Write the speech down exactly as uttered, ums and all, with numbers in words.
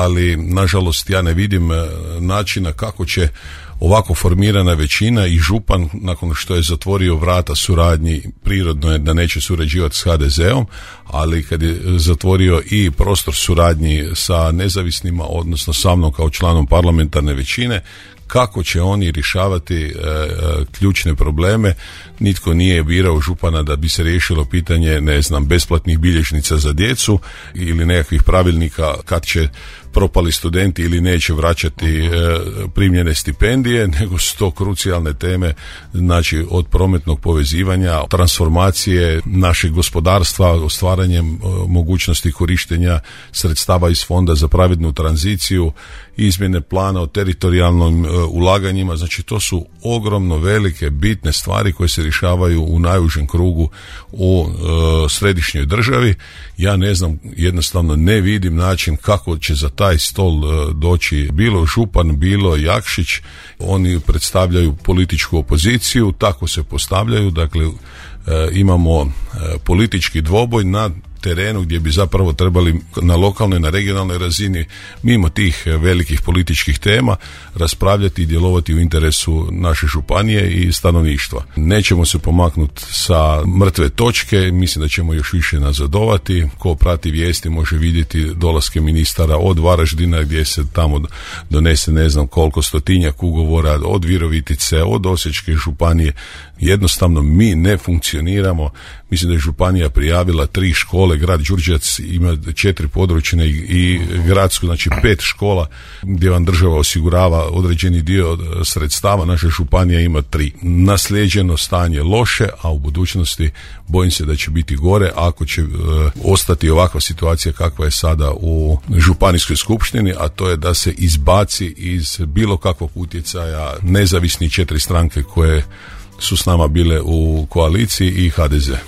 ali nažalost ja ne vidim načina kako će ovako formirana većina i župan, nakon što je zatvorio vrata suradnji, prirodno je da neće surađivati s ha de zeom, ali kad je zatvorio i prostor suradnji sa nezavisnima, odnosno sa mnom kao članom parlamentarne većine, kako će oni rješavati e, e, ključne probleme. Nitko nije birao župana da bi se riješilo pitanje, ne znam, besplatnih bilježnica za djecu ili nekakvih pravilnika kad će propali studenti ili neće vraćati e, primljene stipendije, nego su to krucijalne teme, znači od prometnog povezivanja, transformacije našeg gospodarstva, stvaranjem e, mogućnosti korištenja sredstava iz fonda za pravednu tranziciju, izmjene plana o teritorijalnim e, ulaganjima. Znači to su ogromno velike, bitne stvari koje se rješavaju u najužem krugu u e, središnjoj državi. Ja ne znam, jednostavno ne vidim način kako će za taj stol e, doći bilo župan, bilo Jakšić. Oni predstavljaju političku opoziciju, tako se postavljaju, dakle e, imamo e, politički dvoboj na terenu gdje bi zapravo trebali na lokalnoj, na regionalnoj razini, mimo tih velikih političkih tema, raspravljati i djelovati u interesu naše županije i stanovništva. Nećemo se pomaknuti sa mrtve točke, mislim da ćemo još više nazadovati. Ko prati vijesti može vidjeti dolaske ministara od Varaždina gdje se tamo donese ne znam koliko stotinjak ugovora, od Virovitice, od Osječke županije. Jednostavno mi ne funkcioniramo. Mislim da je županija prijavila tri škole, grad Đurđevac ima četiri područne i, i gradsku, znači pet škola gdje vam država osigurava određeni dio sredstava, naša županija ima tri. Naslijeđeno stanje loše, a u budućnosti bojim se da će biti gore ako će e, ostati ovakva situacija kakva je sada u županijskoj skupštini, a to je da se izbaci iz bilo kakvog utjecaja nezavisni četiri stranke koje su s nama bile u koaliciji i ha de ze.